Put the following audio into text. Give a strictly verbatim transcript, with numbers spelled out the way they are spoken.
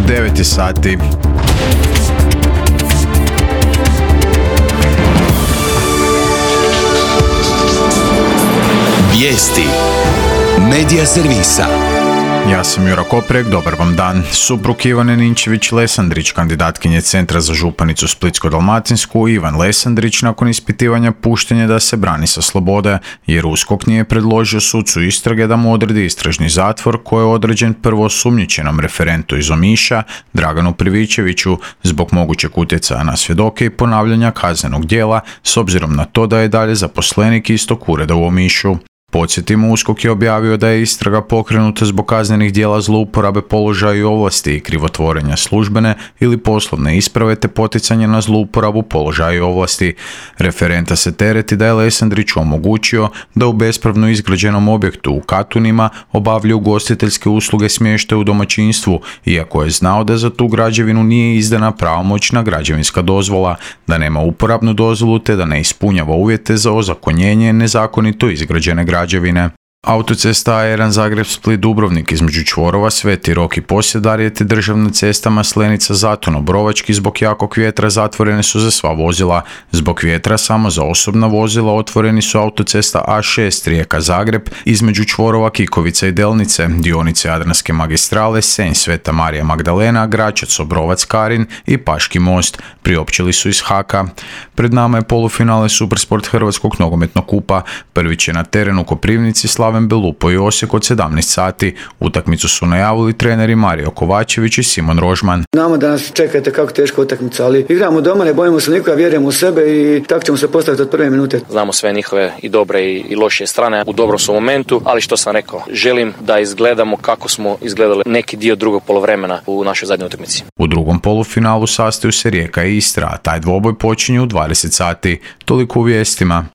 devet sati. Vijesti Medija servisa. Ja sam Jura Koprek, dobar vam dan. Suprug Ivane Ninčević-Lesandrić, kandidatkinje Centra za županicu Splitsko-dalmatinsku, Ivan Lesandrić nakon ispitivanja pušten je da se brani sa slobode, jer USKOK nije predložio sucu istrage da mu odredi istražni zatvor koji je određen prvoosumnjičenom referentu iz Omiša, Draganu Privićeviću, zbog mogućeg utjecaja na svjedoke i ponavljanja kaznenog djela, s obzirom na to da je dalje zaposlenik istog ureda u Omišu. Podsjetimo, USKOK je objavio da je istraga pokrenuta zbog kaznenih djela zlouporabe položaja i ovlasti i krivotvorenja službene ili poslovne isprave te poticanje na zlouporabu položaja i ovlasti. Referenta se tereti da je Lesandriću omogućio da u bespravno izgrađenom objektu u Katunima obavlja ugostiteljske usluge smještaja u domaćinstvu, iako je znao da za tu građevinu nije izdana pravomoćna građevinska dozvola, da nema uporabnu dozvolu te da ne ispunjava uvjete za ozakonjenje nezakonito izgrađene građevine. građevine. Autocesta A jedan Zagreb-Split-Dubrovnik između čvorova Sveti Rok i Posjedarje te državna cesta Maslenica-Zaton-Obrovački zbog jakog vjetra zatvorene su za sva vozila. Zbog vjetra samo za osobna vozila otvoreni su autocesta A šest Rijeka-Zagreb između čvorova Kikovica i Delnice, dionice Jadranske magistrale, Senj Sveta Marija Magdalena, Gračac-Obrovac-Karin i Paški most. Priopćili su iz Haka. Pred nama je polufinale Supersport Hrvatskog nogometnog kupa. Prvi će na terenu Koprivnici Slaven Belupo i Osijek od sedamnaest sati. Utakmicu su najavili treneri Mario Kovačević i Simon Rožman. Znamo da nas čekate kako teška utakmica, ali igramo doma, ne bojimo se nikoga, vjerujemo u sebe i tako ćemo se postaviti od prve minute. Znamo sve njihove i dobre i, i lošije strane, u dobrom su momentu, ali što sam rekao, želim da izgledamo kako smo izgledali neki dio drugog poluvremena u našoj zadnjoj utakmici. U drugom polufinalu sastaju se Rijeka i Istra, a taj dvoboj počinje u dvadeset sati. Toliko u vijestima.